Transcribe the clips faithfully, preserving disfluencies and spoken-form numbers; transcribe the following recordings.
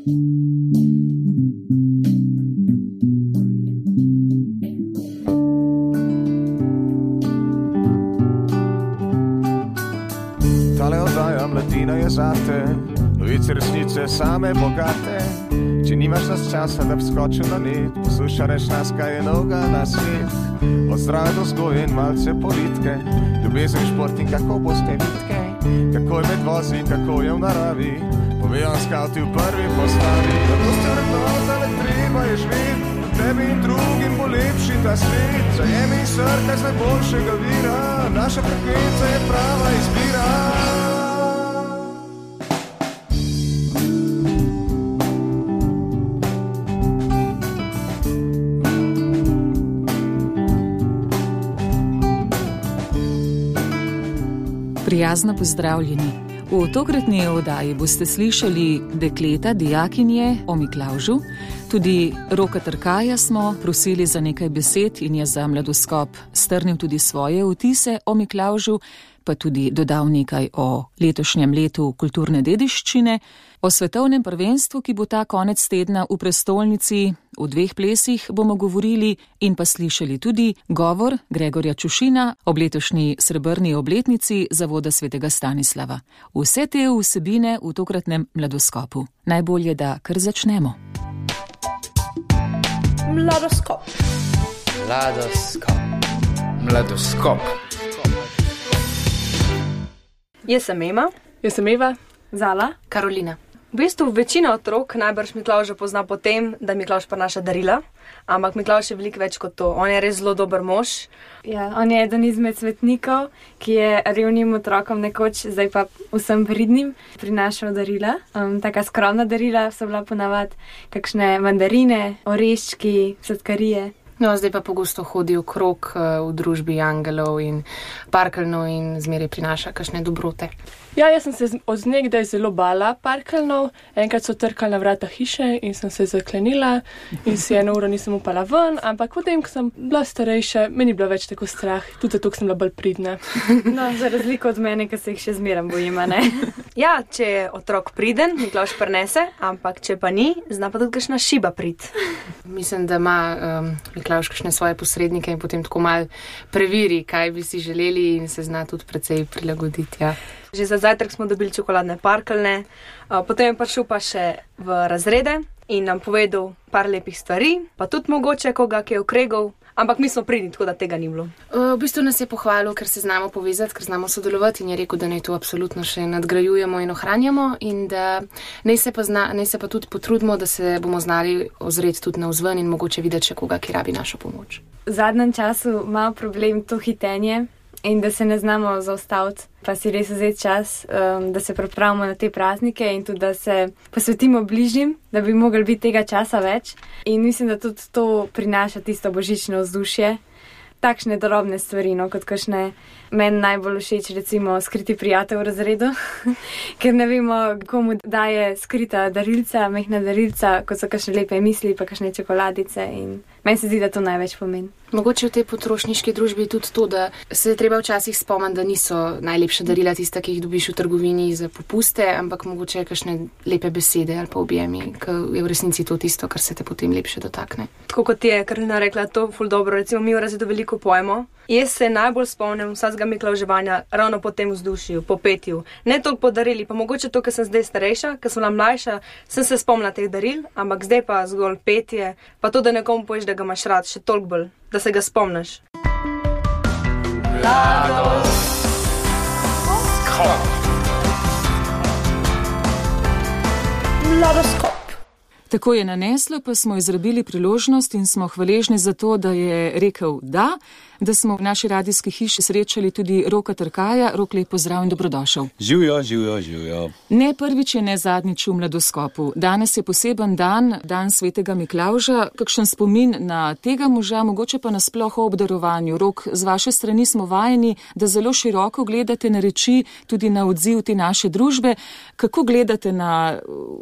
Tale oddaja Mladina je zate, novice resnice same bogate. Če nimaš nas časa, da bi skočil na net, poslušaš nas, kaj je novega na svet. Od zdrave do vzgoje in malce politike, ljubezen, šport in kako boste vitke, kako je med vozi, kako je v naravi, povejo skavti v prvi postavi. Zato ste vrednota, le treba je živeti, tebi in drugim bo lepši ta svet. Zajemi in srkaj z najboljšega vira, naša frekvenca je prava izbira. Prijazno pozdravljeni. V tokratni oddaji boste slišali dekleta, dijakinje o Miklavžu. Tudi Roka Trkaja smo prosili za nekaj besed in je za Mladoskop strnil tudi svoje vtise o Miklavžu, pa tudi dodal nekaj o letošnjem letu kulturne dediščine, o svetovnem prvenstvu, ki bo ta konec tedna v prestolnici, v dveh plesih bomo govorili in pa slišali tudi govor Gregorja Čušina ob letošnji srebrni obletnici zavoda svetega Stanislava. Vse te vsebine v tokratnem Mladoskopu. Najbolje, da kar začnemo. Mladoskop. Mladoskop. Mladoskop. Jaz sem Ema. Jaz sem Eva. Zala. Karolina. V bistvu večina otrok najbrž Miklavža pozna po tem, da Miklavž prinaša darila, ampak Miklavž je veliko več kot to. On je res zelo dober mož. Ja, on je eden izmed svetnikov, ki je revnim otrokom nekoč, zdaj pa vsem pridnim, prinašal darila. Um, taka skromna darila so bila ponavadi kakšne mandarine, oreščki, sladkarije. No, zdaj pa pogosto hodi okrog uh, v družbi angelov in parkeljnov in zmeraj prinaša kakšne dobrote. Ja, jaz sem se od nekdaj zelo bala parkeljnov. Enkrat so trkali na vrata hiše in sem se zaklenila in si eno uro nisem upala ven, ampak potem, ko sem bila starejša, meni je bilo več tako strah, tudi zato, ker sem bila bolj pridna. No, za razliko od mene, ki se jih še zmeram bojim, ne? Ja, če je otrok priden, Miklavž prinese, ampak če pa ni, zna pa tudi kakšna šiba prid. Mislim, da ima um, Miklavž kakšne svoje posrednike in potem tako mal preveri, kaj bi si želeli in se zna tudi precej prilagoditi, ja. Že za zajtrk smo dobili čokoladne parkeljne, potem je prišel pa še v razrede in nam povedal par lepih stvari, pa tudi mogoče koga, ki je okregal, ampak mi smo pridni, tako da tega ni bilo. V bistvu nas je pohvalil, ker se znamo povezati, ker znamo sodelovati in je rekel, da naj to absolutno še nadgrajujemo in ohranjamo in da naj se pa, zna, naj se pa tudi potrudimo, da se bomo znali ozreti tudi navzven in mogoče videti še koga, ki rabi našo pomoč. V zadnjem času ima problem to hitenje in da se ne znamo zaustaviti, pa si res vzeti čas, um, da se pripravimo na te praznike in tudi, da se posvetimo bližnjim, da bi mogli biti tega časa več. In mislim, da tudi to prinaša tisto božično vzdušje. Takšne drobne stvari, no, kot kakšne meni najbolj všeč, recimo skriti prijatelj v razredu, ker ne vemo, komu daje skrita darilca, mehna darilca, kot so kakšne lepe misli, pa kakšne čokoladice in meni se zdi, da to največ pomeni. Mogoče v tej potrošniški družbi je tudi to, da se treba včasih spomniti, da niso najlepša darila tista, ki jih dobiš v trgovini za popuste, ampak mogoče kakšne lepe besede ali pa objemi, ker je v resnici to tisto, kar se te potem lepše dotakne. Tako kot je Karolina rekla, to ful dobro, recimo mi v razredu veliko pojemo. Jaz se najbolj spomnim vsakega Miklavževanja ravno po tem vzdušju, po petju. Ne toliko po darili, pa mogoče to, ker sem zdaj starejša, ker sem bila mlajša, sem se spomnila teh daril, ampak zdaj pa zgolj petje, pa to, da nekomu poveš, da ga imaš rad, še toliko bolj, da se ga spomniš. Mladoskop. Tako je naneslo, pa smo izrabili priložnost in smo hvaležni za to, da je rekel da, da smo v naši radijski hiši srečali tudi Roka Trkaja. Rok, lep pozdrav in dobrodošel. Živjo, živjo, živjo. Ne prvič je ne zadnjič v Mladoskopu. Danes je poseben dan, dan svetega Miklavža. Kakšen spomin na tega moža, mogoče pa nasploh o obdarovanju. Rok, z vaše strani smo vajeni, da zelo široko gledate na reči, tudi na odziv te naše družbe. Kako gledate na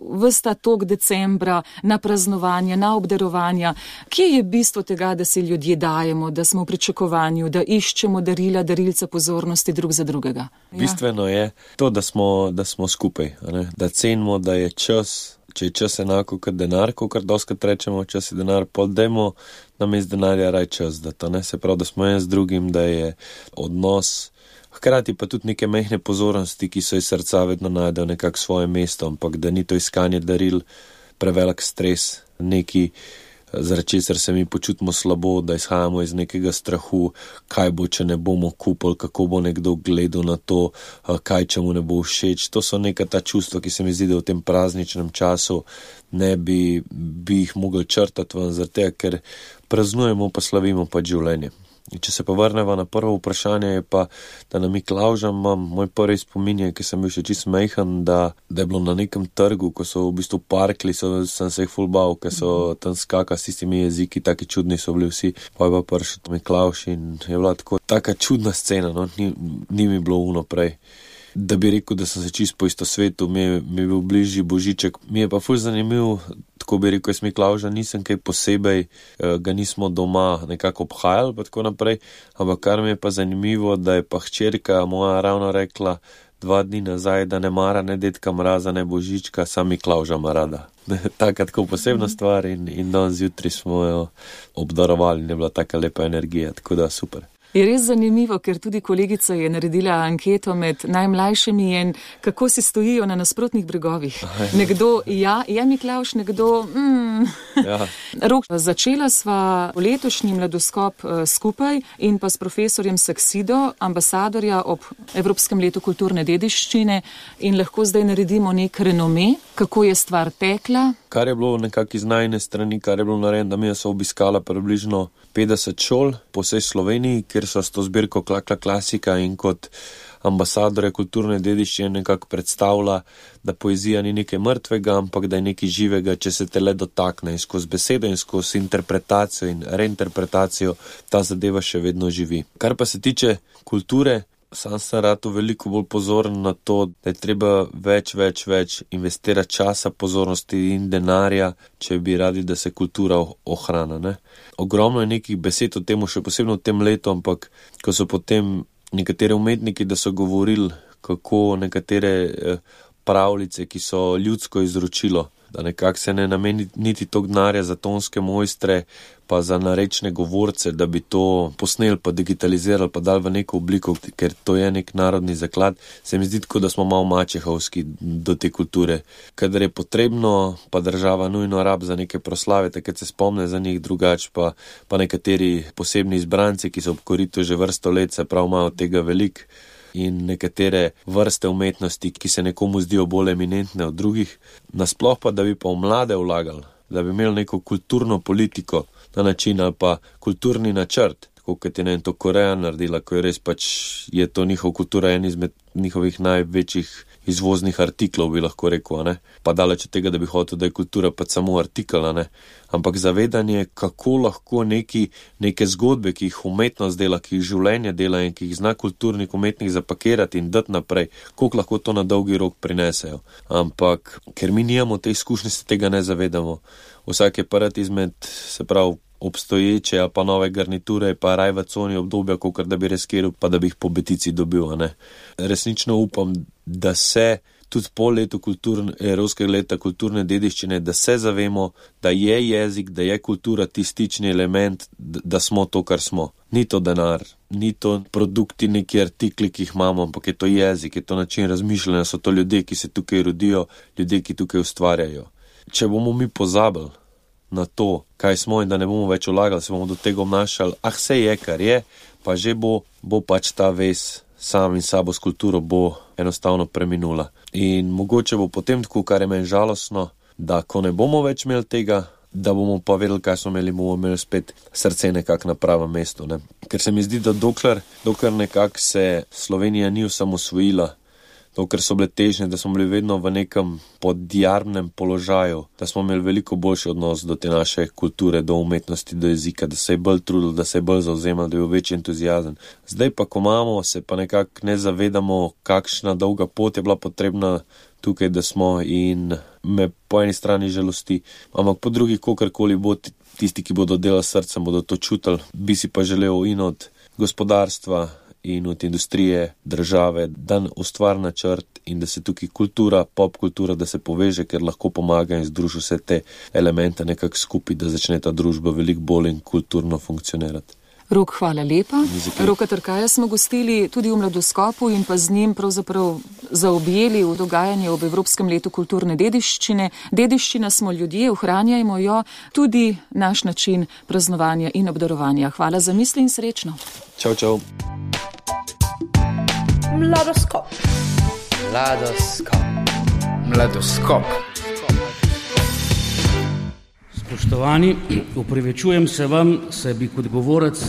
ves ta tok decembra, na praznovanja, na obdarovanja? Kje je bistvo tega, da se ljudje dajemo, da smo v pričakovanju, da iščemo darila, darilca pozornosti drug za drugega? Ja. Bistveno je to, da smo, da smo skupaj, ne? Da cenimo, da je čas če je čas enako kot denar, kakor doskrat rečemo, čas je denar, pol dajmo namesto denarja raj čas, da to ne se pravi, da smo en z drugim, da je odnos, hkrati pa tudi neke mehne pozornosti, ki so iz srca vedno najdejo nekako svoje mesto, ampak da ni to iskanje daril prevelik stres, neki, zaradi česar se mi počutimo slabo, da izhajamo iz nekega strahu, kaj bo, če ne bomo kupili, kako bo nekdo gledal na to, kaj, če mu ne bo všeč. To so neka ta čustva, ki se mi zdi, da v tem prazničnem času ne bi, bi jih mogli črtati ven, zaradi tega, ker praznujemo pa slavimo pa življenje. In če se pa vrneva na prvo vprašanje, je pa, da na Miklavža imam moj prvi spomin, ki sem bil še čisto majhen, da, da je bilo na nekem trgu, ko so v bistvu parkli, so, sem se jih ful bal, ker so tam skaka s tistimi jeziki, taki čudni so bili vsi, pa je pa prišel Miklavž in je bila tako taka čudna scena, no, ni, ni mi bilo uno prej. Da bi rekel, da sem se čisto po isto svetu, mi je, mi je bil bližji Božiček, mi je pa ful zanimiv, tako bi rekel, jaz Miklavža nisem kaj posebej, ga nismo doma nekako obhajali, pa tako naprej, ampak kar mi je pa zanimivo, da je pa hčerka moja ravno rekla dva dni nazaj, da ne mara ne Dedka Mraza, ne Božička, sam Miklavža ima rada. Taka tako posebna stvar in, in danes zjutraj smo jo obdarovali in je bila taka lepa energija, tako da super. Je res zanimivo, ker tudi kolegica je naredila anketo med najmlajšimi in kako si stojijo na nasprotnih bregovih. Nekdo, ja, je Miklavž, nekdo, mm. Ja. Rok, začela sva letošnji mladoskop skupaj in pa s profesorjem Saksido, ambasadorja ob Evropskem letu kulturne dediščine in lahko zdaj naredimo nek renome, kako je stvar tekla. Kar je bilo nekako iz najne strani, kar je bilo narejeno, da mi so obiskala približno petdeset šol po vsej Sloveniji, kjer so s to zbirko Klakla klasika in kot ambasadore kulturne dediščine nekako predstavlja, da poezija ni nekaj mrtvega, ampak da je nekaj živega, če se te le dotakne in skozi besedo in skozi interpretacijo in reinterpretacijo ta zadeva še vedno živi. Kar pa se tiče kulture, sam sem rado veliko bolj pozoren na to, da je treba več, več, več investirati časa, pozornosti in denarja, če bi radi, da se kultura ohrana. Ne? Ogromno je nekih besed o tem, še posebno v tem letu, ampak ko so potem nekateri umetniki, da so govorili, kako nekatere pravljice, ki so ljudsko izročilo, da nekako se ne nameni niti tok denarja za tonske mojstre, pa za narečne govorce, da bi to posneli, pa digitalizirali, pa dali v neko obliko, ker to je nek narodni zaklad, se mi zdi tako, da smo malo mačehovski do te kulture. Kadar je potrebno, pa država nujno rab za neke proslave, takrat se spomne za njih drugač, pa, pa nekateri posebni izbranci, ki so ob koritu že vrsto let, se prav imajo tega veliko, in nekatere vrste umetnosti, ki se nekomu zdijo bolj eminentne od drugih, nasploh pa, da bi pa v mlade vlagali, da bi imeli neko kulturno politiko na način ali pa kulturni načrt, tako kot je ne to Koreja naredila, ko je res pač, je to njihov kultura en izmed njihovih največjih izvoznih artiklov, bi lahko rekel, ne? Pa daleč od tega, da bi hotel, da je kultura pač samo artikel, ne? Ampak zavedanje, kako lahko neki, neke zgodbe, ki jih umetnost dela, ki jih življenje dela in ki jih zna kulturnik umetnik zapakirati in dati naprej, koliko lahko to na dolgi rok prinesejo. Ampak, ker mi nijamo te izkušnje, se tega ne zavedamo. Vsak je prvi izmed, se pravi, obstoječe ali pa nove garniture, pa raj v coni obdobja, kakor da bi reskiral, pa da bi jih po betici dobil, a ne. Resnično upam, da se tudi po letu kulturne, Evropskega leta kulturne dediščine, da se zavemo, da je jezik, da je kultura tistični element, da smo to, kar smo. Ni to denar, ni to produkti, neki artikli, ki jih imamo, ampak je to jezik, je to način razmišljanja, so to ljudje, ki se tukaj rodijo, ljudje, ki tukaj ustvarjajo. Če bomo mi pozabili na to, kaj smo in da ne bomo več vlagali, se bomo do tega obnašali, ah, vse je, kar je, pa že bo, bo pač ta vez sam in sabo s kulturo bo enostavno preminula. In mogoče bo potem tako, kar je meni žalostno, da ko ne bomo več imeli tega, da bomo pa vedeli, kaj smo imeli, bomo imeli spet srce nekako na pravem mestu. Ne? Ker se mi zdi, da dokler, dokler nekako se Slovenija ni osamosvojila, dokler so bile težnje, da smo bili vedno v nekem podjarmnem položaju, da smo imeli veliko boljši odnos do te naše kulture, do umetnosti, do jezika, da se je bolj trudili, da se je bolj zauzemali, da je bil večji entuziazem. Zdaj pa, ko imamo, se pa nekako ne zavedamo, kakšna dolga pot je bila potrebna tukaj, da smo, in me po eni strani žalosti, ampak po drugi, kogarkoli bo, tisti, ki bodo delali srcem, bodo to čutili. Bi si pa želel in od gospodarstva in od industrije, države, dan ustvar načrt in da se tukaj kultura, pop kultura, da se poveže, ker lahko pomaga in združi vse te elemente nekako skupaj, da začne ta družba veliko bolj in kulturno funkcionirati. Rok, hvala lepa. Roka Trkaja smo gostili tudi v Mladoskopu in pa z njim pravzaprav zaobjeli v dogajanje ob Evropskem letu kulturne dediščine. Dediščina smo ljudje, ohranjajmo jo, tudi naš način praznovanja in obdarovanja. Hvala za misli in srečno. Čau, čau. Mladoskop. Mladoskop. Mladoskop. Spoštovani, upravičujem se vam, saj bi kot govorec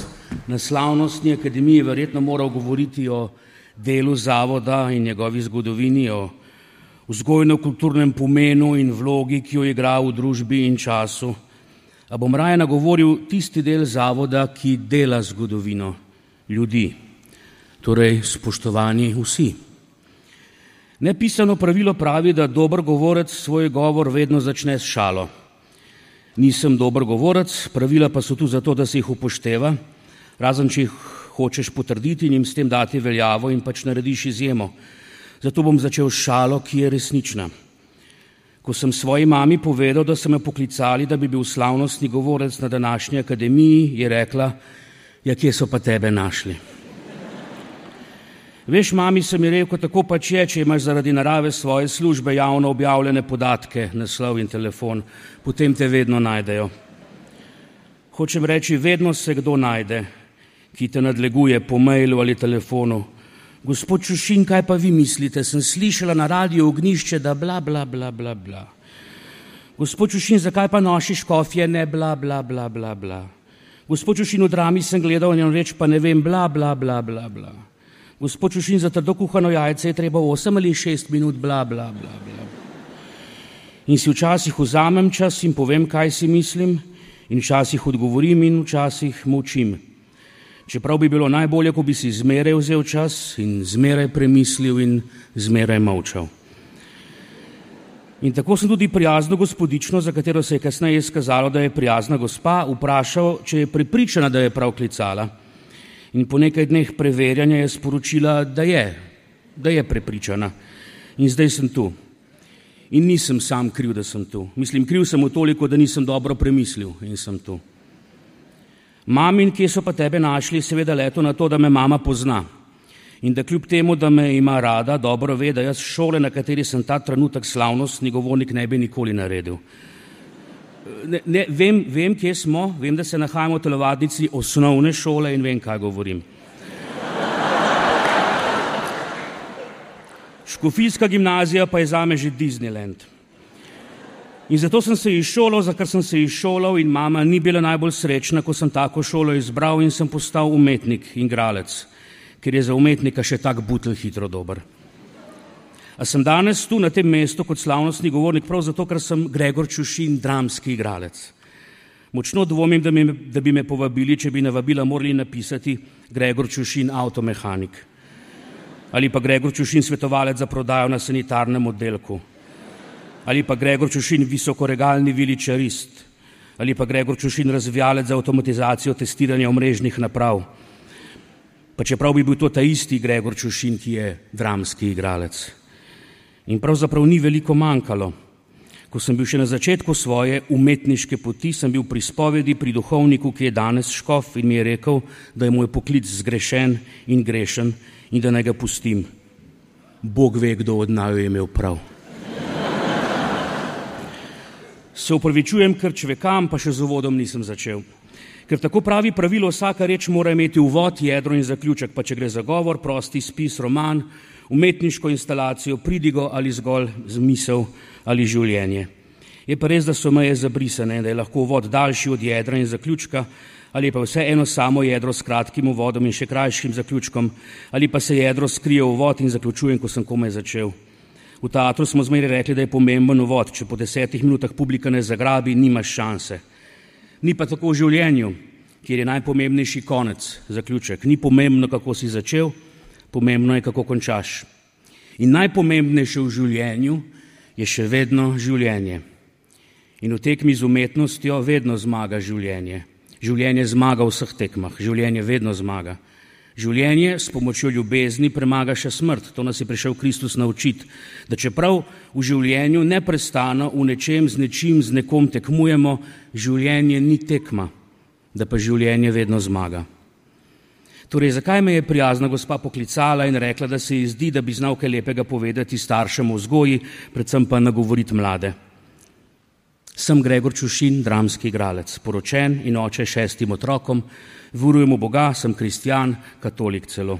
na slavnostni akademiji verjetno moral govoriti o delu zavoda in njegovi zgodovini, o vzgojno-kulturnem pomenu in vlogi, ki jo igra v družbi in času. A bom raje nagovoril tisti del zavoda, ki dela zgodovino ljudi, torej spoštovani vsi. Nepisano pravilo pravi, da dober govorec svoj govor vedno začne s šalo. Nisem dober govorec, pravila pa so tu zato, da se jih upošteva, razen če jih hočeš potrditi in jim s tem dati veljavo in pač narediš izjemo. Zato bom začel s šalo, ki je resnična. Ko sem svoji mami povedal, da so me poklicali, da bi bil slavnostni govorec na današnji akademiji, je rekla, ja, kje so pa tebe našli? Veš, mami, sem ji rekel, tako pač je, če imaš zaradi narave svoje službe javno objavljene podatke, naslov in telefon, potem te vedno najdejo. Hočem reči, vedno se kdo najde, ki te nadleguje po mailu ali telefonu. Gospod Čušin, kaj pa vi mislite? Sem slišala na radiju Ognišče, da bla, bla, bla, bla, bla. Gospod Čušin, zakaj pa nosiš škofje? Ne, bla, bla, bla, bla, bla. Gospod Čušin, v Drami sem gledal in reč, pa ne vem, bla, bla, bla, bla, bla. Gospod Čušin, za trdo kuhano jajce je treba osem ali šest minut, bla, bla, bla, bla. In si včasih vzamem čas in povem, kaj si mislim, in včasih odgovorim in včasih molčim. Čeprav bi bilo najbolje, ko bi si zmeraj vzel čas in zmeraj premislil in zmeraj molčal. In tako sem tudi prijazno gospodično, za katero se je kasneje izkazalo, da je prijazna gospa, vprašal, če je prepričana, da je prav klicala. In po nekaj dneh preverjanja je sporočila, da je, da je prepričana. In zdaj sem tu. In nisem sam kriv, da sem tu. Mislim, kriv sem v toliko, da nisem dobro premislil in sem tu. Mamin, kje so pa tebe našli, seveda leto na to, da me mama pozna. In da kljub temu, da me ima rada, dobro ve, da jaz šole, na kateri sem ta trenutek slavnostni govornik, ne bi nikoli naredil. Ne, ne, vem, vem, kje smo, vem, da se nahajamo v telovadnici osnovne šole in vem, kaj govorim. Škofijska gimnazija pa je zame že Disneyland. In zato sem se izšolal, za kar sem se izšolal in mama ni bila najbolj srečna, ko sem tako šolo izbral in sem postal umetnik in igralec, ker je za umetnika še tak butelj hitro dober. A sem danes tu na tem mestu kot slavnostni govornik prav zato, ker sem Gregor Čušin, dramski igralec. Močno dvomim, da, mi, da bi me povabili, če bi na vabila morali napisati Gregor Čušin, avtomehanik. Ali pa Gregor Čušin, svetovalec za prodajo na sanitarnem oddelku. Ali pa Gregor Čušin, visokoregalni viličarist. Ali pa Gregor Čušin, razvijalec za avtomatizacijo testiranja omrežnih naprav. Pa čeprav bi bil to ta isti Gregor Čušin, ki je dramski igralec. In pravzaprav ni veliko manjkalo. Ko sem bil še na začetku svoje umetniške poti, sem bil pri spovedi pri duhovniku, ki je danes škof in mi je rekel, da je moj poklic zgrešen in grešen in da naj ga pustim. Bog ve, kdo od naju je imel prav. Se upravičujem, ker čvekam, pa še z uvodom nisem začel. Ker tako pravi pravilo, vsaka reč mora imeti uvod, jedro in zaključek, pa če gre za govor, prosti spis, roman, umetniško instalacijo, pridigo ali zgolj zmisel ali življenje. Je pa res, da so meje zabrisane, da je lahko uvod daljši od jedra in zaključka, ali pa vse eno samo jedro s kratkim uvodom in še krajšim zaključkom, ali pa se jedro skrije v uvod in zaključujem, ko sem komaj začel. V teatru smo zmeraj rekli, da je pomemben uvod, če po desetih minutah publika ne zagrabi, nimaš šanse. Ni pa tako v življenju, kjer je najpomembnejši konec, zaključek. Ni pomembno, kako si začel, pomembno je, kako končaš. In najpomembnejše v življenju je še vedno življenje. In v tekmi z umetnostjo vedno zmaga življenje. Življenje zmaga v vseh tekmah, življenje vedno zmaga. Življenje s pomočjo ljubezni premaga še smrt. To nas je prišel Kristus naučiti, da čeprav v življenju neprestano v nečem z nečim z nekom tekmujemo, življenje ni tekma, da pa življenje vedno zmaga. Torej, zakaj me je prijazna gospa poklicala in rekla, da se ji zdi, da bi znal kaj lepega povedati staršem o vzgoji, predvsem pa nagovoriti mlade? Sem Gregor Čušin, dramski igralec, poročen in oče šestim otrokom, verujem v Boga, sem kristjan, katolik celo.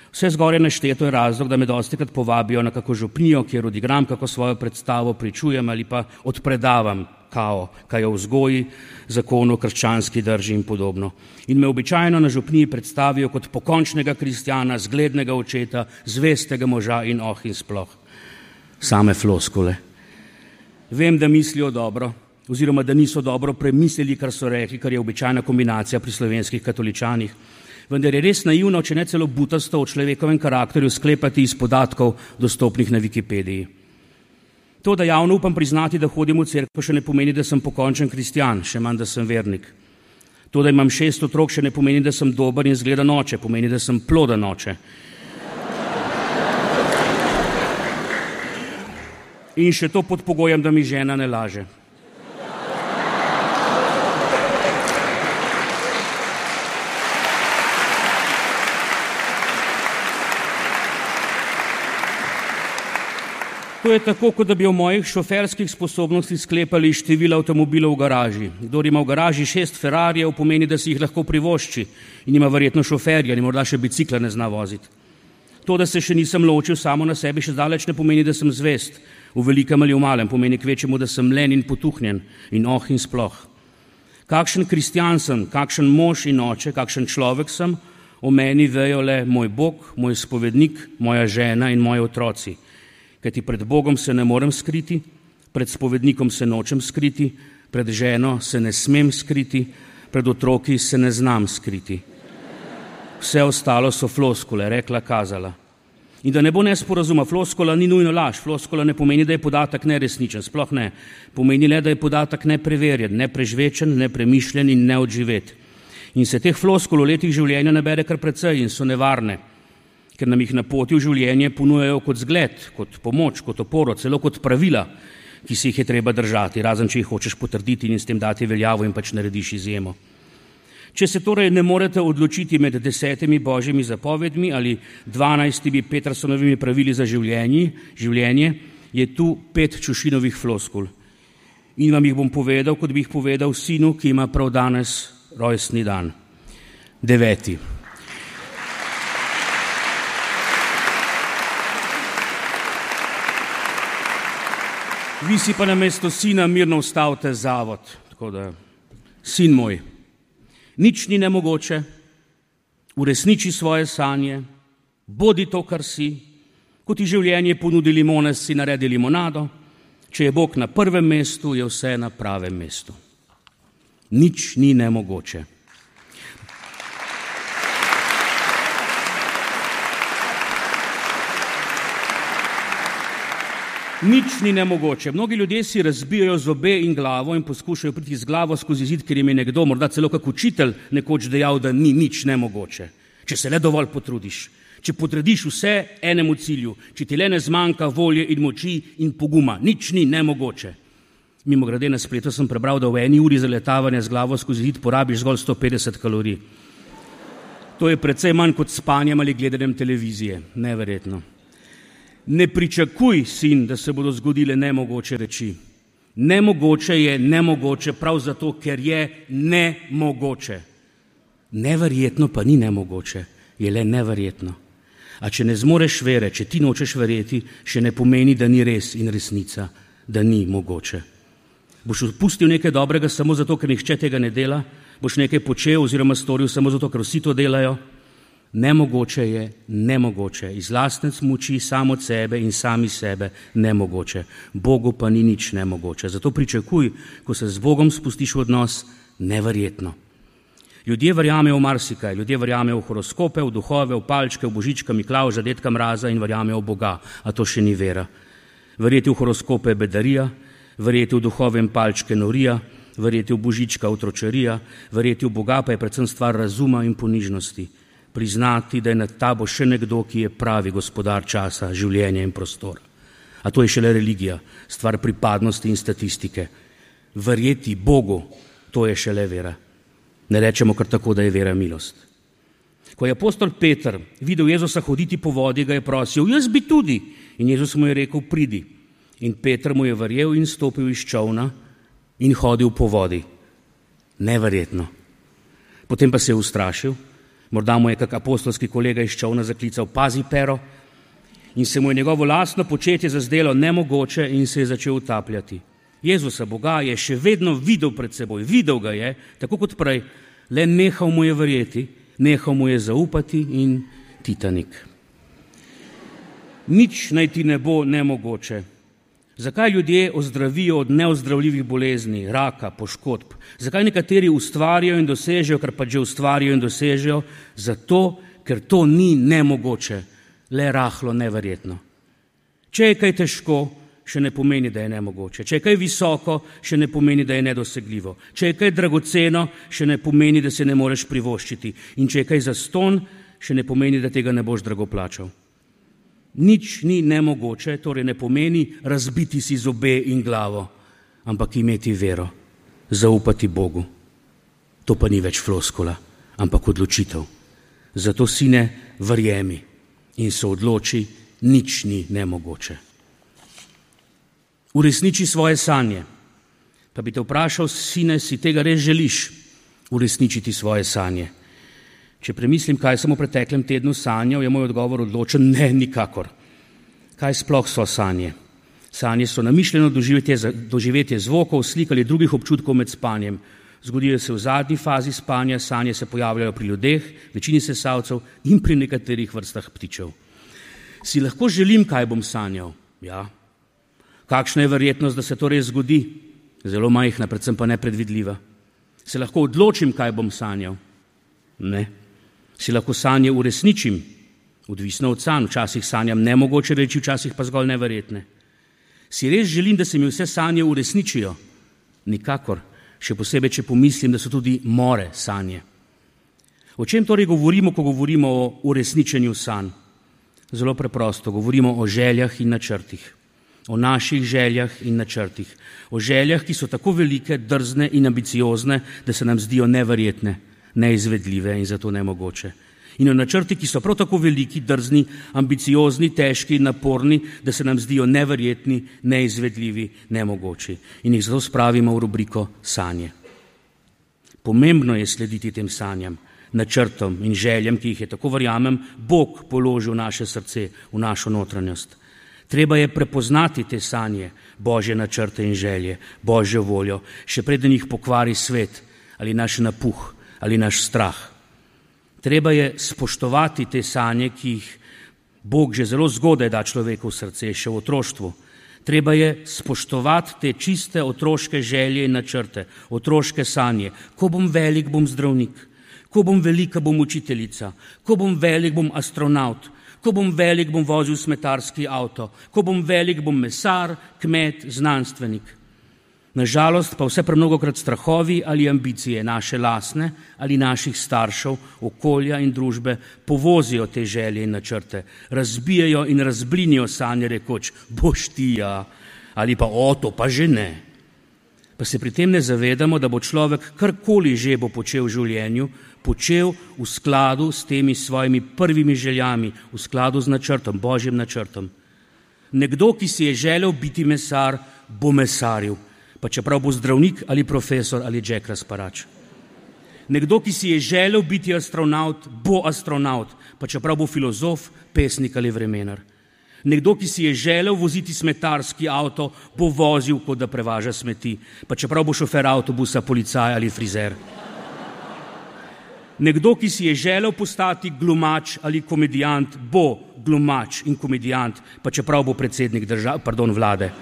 Vse zgoraj našteto je razlog, da me dostikrat povabijo na kako župnijo, kjer odigram kako svojo predstavo, pričujem ali pa odpredavam kao, kaj o vzgoji, zakonu, krščanski drži in podobno. In me običajno na župniji predstavijo kot pokončnega kristjana, zglednega očeta, zvestega moža in oh in sploh. Same floskule. Vem, da mislijo dobro, oziroma da niso dobro premislili, kar so rekli, kar je običajna kombinacija pri slovenskih katoličanih. Vendar je res naivno, če ne celo butasto o človekovem karakterju sklepati iz podatkov dostopnih na Wikipediji. To, da javno upam priznati, da hodim v cerkev, še ne pomeni, da sem pokončen kristjan, še manj, da sem vernik. To, da imam šest otrok, še ne pomeni, da sem dober in zgledan oče, pomeni, da sem ploden oče. In še to pod pogojem, da mi žena ne laže. To je tako, kot da bi o mojih šoferskih sposobnostih sklepali število avtomobilov v garaži. Kdor ima v garaži šest Ferrarijev, pomeni, da si jih lahko privošči in ima verjetno šoferja in morda še bicikla ne zna voziti. To, da se še nisem ločil samo na sebi, še daleč ne pomeni, da sem zvest. V velikem ali v malem pomeni kvečemu, da sem len in potuhnjen in oh in sploh. Kakšen kristjan sem, kakšen mož in oče, kakšen človek sem, o meni vejo le moj Bog, moj spovednik, moja žena in moji otroci. Kajti pred Bogom se ne morem skriti, pred spovednikom se nočem skriti, pred ženo se ne smem skriti, pred otroki se ne znam skriti. Vse ostalo so floskule, rekla, kazala. In da ne bo nesporazuma, floskula ni nujno laž, floskula ne pomeni, da je podatek neresničen, sploh ne. Pomeni le, da je podatek nepreverjen, neprežvečen, nepremišljen in neodživet. In se teh floskul v letih življenja nabere kar precej in so nevarne, ker nam jih na poti v življenje ponujajo kot zgled, kot pomoč, kot oporo, celo kot pravila, ki si jih je treba držati, razen če jih hočeš potrditi in s tem dati veljavo in pač narediš izjemo. Če se torej ne morete odločiti med desetimi božjimi zapovedmi ali dvanajstimi Petersonovimi pravili za življenje, življenje, je tu pet Čušinovih floskul. In vam jih bom povedal, kot bi jih povedal sinu, ki ima prav danes rojstni dan. Deveti. Vi si pa namesto sina mirno ustavite zavod. Tako da, sin moj, nič ni nemogoče, uresniči svoje sanje, bodi to, kar si, ko ti življenje ponudi limone, si naredi limonado, če je Bog na prvem mestu, je vse na pravem mestu. Nič ni nemogoče. Nič ni nemogoče. Mnogi ljudje si razbijajo zobe in glavo in poskušajo priti z glavo skozi zid, ker jim je nekdo, morda celo kak učitelj, nekoč dejal, da ni nič nemogoče. Če se le dovolj potrudiš, če podrediš vse enemu cilju, če ti le ne zmanjka volje in moči in poguma, nič ni nemogoče. Mimogrede na spletu sem prebral, da v eni uri zaletavanja z glavo skozi zid porabiš zgolj sto petdeset kalorij. To je precej manj kot spanjem ali gledanjem televizije. Neverjetno. Ne pričakuj, sin, da se bodo zgodile nemogoče reči. Nemogoče je nemogoče prav zato, ker je nemogoče. Neverjetno pa ni nemogoče, je le neverjetno. A če ne zmoreš vere, če ti nočeš verjeti, še ne pomeni, da ni res in resnica, da ni mogoče. Boš odpustil nekaj dobrega samo zato, ker nihče tega ne dela? Boš nekaj počel oziroma storil samo zato, ker vsi to delajo? Nemogoče je nemogoče, iz lastne moči, samo od sebe in sami sebe nemogoče. Bogu pa ni nič nemogoče. Zato pričakuj, ko se z Bogom spustiš v odnos, neverjetno. Ljudje verjamejo v marsikaj, ljudje verjamejo v horoskope, v duhove, v palčke, v Božička, Miklavža, Dedka Mraza in verjamejo v Boga, a to še ni vera. Verjeti v horoskope je bedarija, verjeti v duhove in palčke norija, verjeti v Božička otročarija, verjeti v Boga pa je predvsem stvar razuma in ponižnosti. priznati, da je nad tabo še nekdo, ki je pravi gospodar časa, življenja in prostora. A to je šele religija, stvar pripadnosti in statistike. Verjeti Bogu, to je šele vera. Ne rečemo kar tako, da je vera milost. Ko je apostol Peter videl Jezusa hoditi po vodi, ga je prosil, jaz bi tudi. In Jezus mu je rekel, pridi. In Peter mu je verjel in stopil iz čolna in hodil po vodi. Neverjetno. Potem pa se je ustrašil, morda mu je kak apostolski kolega iz čolna zaklical, pazi Pero, in se mu je njegovo lastno početje zazdelo nemogoče in se je začel utapljati. Jezusa Boga je še vedno videl pred seboj, videl ga je, tako kot prej, le nehal mu je verjeti, nehal mu je zaupati in Titanik. Nič naj ti ne bo nemogoče. Zakaj ljudje ozdravijo od neozdravljivih bolezni, raka, poškodb? Zakaj nekateri ustvarjajo in dosežejo, kar pa že ustvarjajo in dosežejo? Zato, ker to ni nemogoče, le rahlo neverjetno. Če je kaj težko, še ne pomeni, da je nemogoče. Če je kaj visoko, še ne pomeni, da je nedosegljivo. Če je kaj dragoceno, še ne pomeni, da se ne moreš privoščiti. In če je kaj zastonj, še ne pomeni, da tega ne boš drago plačal. Nič ni nemogoče, torej ne pomeni razbiti si zobe in glavo, ampak imeti vero, zaupati Bogu. To pa ni več floskula, ampak odločitev. Zato, sine, verjemi in se odloči, nič ni nemogoče. Uresniči svoje sanje. Pa bi te vprašal, sine, si tega res želiš uresničiti svoje sanje? Če premislim, kaj sem v preteklem tednu sanjal, je moj odgovor odločen, ne, nikakor. Kaj sploh so sanje? Sanje so namišljeno doživetje, doživetje zvokov, slik ali drugih občutkov med spanjem. Zgodijo se v zadnji fazi spanja, sanje se pojavljajo pri ljudeh, večini sesalcev in pri nekaterih vrstah ptičev. Si lahko želim, kaj bom sanjal? Ja. Kakšna je verjetnost, da se to res zgodi? Zelo majhna, predvsem pa nepredvidljiva. Se lahko odločim, kaj bom sanjal? Ne. Si lahko sanje uresničim? Odvisno od sanj, včasih sanjam nemogoče reči, včasih pa zgolj neverjetne. Si res želim, da se mi vse sanje uresničijo? Nikakor, še posebej, če pomislim, da so tudi more sanje. O čem torej govorimo, ko govorimo o uresničenju sanj? Zelo preprosto, govorimo o željah in načrtih. O naših željah in načrtih. O željah, ki so tako velike, drzne in ambiciozne, da se nam zdijo neverjetne, neizvedljive in zato nemogoče. In o načrti, ki so prav tako veliki, drzni, ambiciozni, težki in naporni, da se nam zdijo neverjetni, neizvedljivi, nemogoči. In jih zato spravimo v rubriko sanje. Pomembno je slediti tem sanjam, načrtom in željam, ki jih je, tako verjamem, Bog položil v naše srce, v našo notranjost. Treba je prepoznati te sanje, Božje načrte in želje, Božjo voljo, še preden jih pokvari svet ali naš napuh ali naš strah. Treba je spoštovati te sanje, ki jih Bog že zelo zgodaj da človeku v srce, še v otroštvu. Treba je spoštovati te čiste otroške želje in načrte, otroške sanje. Ko bom velik, bom zdravnik. Ko bom velika, bom učiteljica. Ko bom velik, bom astronaut. Ko bom velik, bom vozil smetarski avto. Ko bom velik, bom mesar, kmet, znanstvenik. Nažalost pa vse premnogokrat strahovi ali ambicije naše lastne ali naših staršev, okolja in družbe povozijo te želje in načrte, razbijajo in razblinijo sanje rekoč, boš ti ja, ali pa o, to pa že ne. Pa se pri tem ne zavedamo, da bo človek karkoli že bo počel v življenju, počel v skladu s temi svojimi prvimi željami, v skladu z načrtom, Božjim načrtom. Nekdo, ki si je želel biti mesar, bo mesaril, pa čeprav bo zdravnik ali profesor ali Jack Razparač. Nekdo, ki si je želel biti astronaut, bo astronaut, pa čeprav bo filozof, pesnik ali vremenar. Nekdo, ki si je želel voziti smetarski avto, bo vozil, kot da prevaža smeti, pa čeprav bo šofer avtobusa, policaj ali frizer. Nekdo, ki si je želel postati glumač ali komedijant, bo glumač in komedijant, pa čeprav bo predsednik države, pardon, vlade.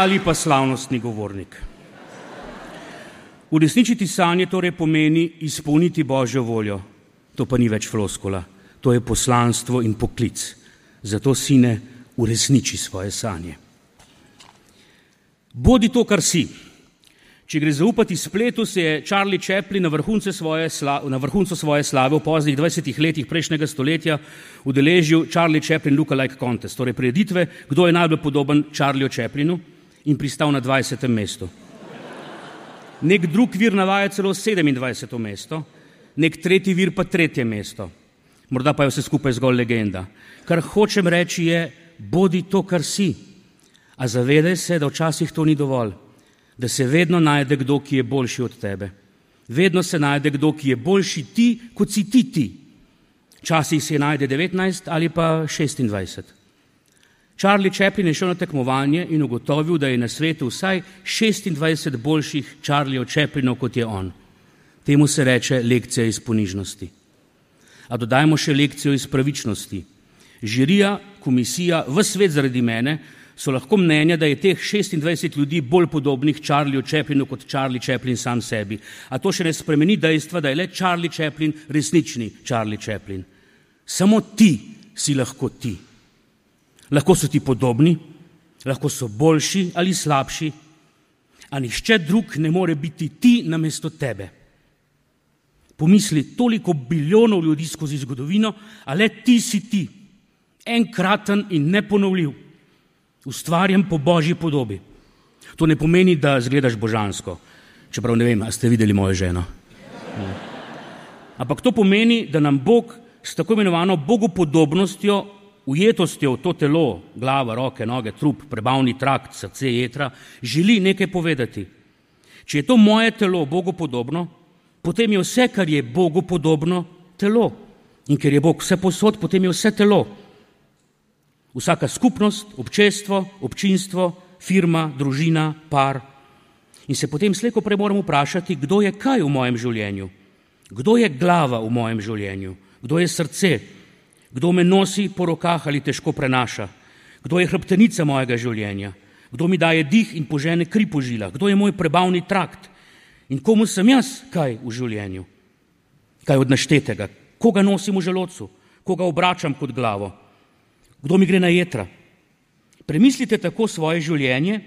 Ali pa slavnostni govornik. Uresničiti sanje torej pomeni izpolniti Božjo voljo. To pa ni več floskula. To je poslanstvo in poklic. Zato, sine, uresniči svoje sanje. Bodi to, kar si. Če gre zaupati spletu, se je Charlie Chaplin na vrhuncu svoje, sla, na vrhuncu svoje slave v poznih dvajsetih letih prejšnjega stoletja udeležil Charlie Chaplin Lookalike Contest, torej prireditve, kdo je najbolj podoben Charlieju Chaplinu, in pristal na dvajsetem mestu. Nek drug vir navaja celo sedemindvajseto mesto, nek tretji vir pa tretje mesto. Morda pa je vse skupaj zgolj legenda. Kar hočem reči je, bodi to, kar si. A zavedaj se, da včasih to ni dovolj. Da se vedno najde kdo, ki je boljši od tebe. Vedno se najde kdo, ki je boljši ti, kot si ti ti. Včasih se najde devetnajst ali pa šestindvajset. Charlie Chaplin je šel na tekmovanje in ugotovil, da je na svetu vsaj šestindvajset boljših Charliejev Chaplinov, kot je on. Temu se reče lekcija iz ponižnosti. A dodajmo še lekcijo iz pravičnosti. Žirija, komisija, ves svet zaradi mene so lahko mnenja, da je teh šestindvajset ljudi bolj podobnih Charlieju Chaplinu kot Charlie Chaplin sam sebi. A to še ne spremeni dejstva, da je le Charlie Chaplin resnični Charlie Chaplin. Samo ti si lahko ti. Lahko so ti podobni, lahko so boljši ali slabši, a nihče drug ne more biti ti namesto tebe. Pomisli, toliko bilijonov ljudi skozi zgodovino, a le ti si ti, enkraten in neponovljiv, ustvarjen po Božji podobi. To ne pomeni, da zgledaš božansko, čeprav ne vem, a ste videli mojo ženo. Ne. Ampak to pomeni, da nam Bog s tako imenovano bogopodobnostjo, ujetostjo v to telo, glava, roke, noge, trup, prebavni trakt, srce, jetra, želi nekaj povedati. Če je to moje telo bogopodobno, potem je vse, kar je Bogu podobno, telo. In ker je Bog vse posod, potem je vse telo. Vsaka skupnost, občestvo, občinstvo, firma, družina, par. In se potem slejko prej moramo vprašati, kdo je kaj v mojem življenju? Kdo je glava v mojem življenju? Kdo je srce? Kdo me nosi po rokah ali težko prenaša? Kdo je hrbtenica mojega življenja? Kdo mi daje dih in požene kri po žilah? Kdo je moj prebavni trakt? In komu sem jaz kaj v življenju? Kaj od naštetega? Koga nosim v želodcu? Koga obračam kot glavo? Kdo mi gre na jetra? Premislite tako svoje življenje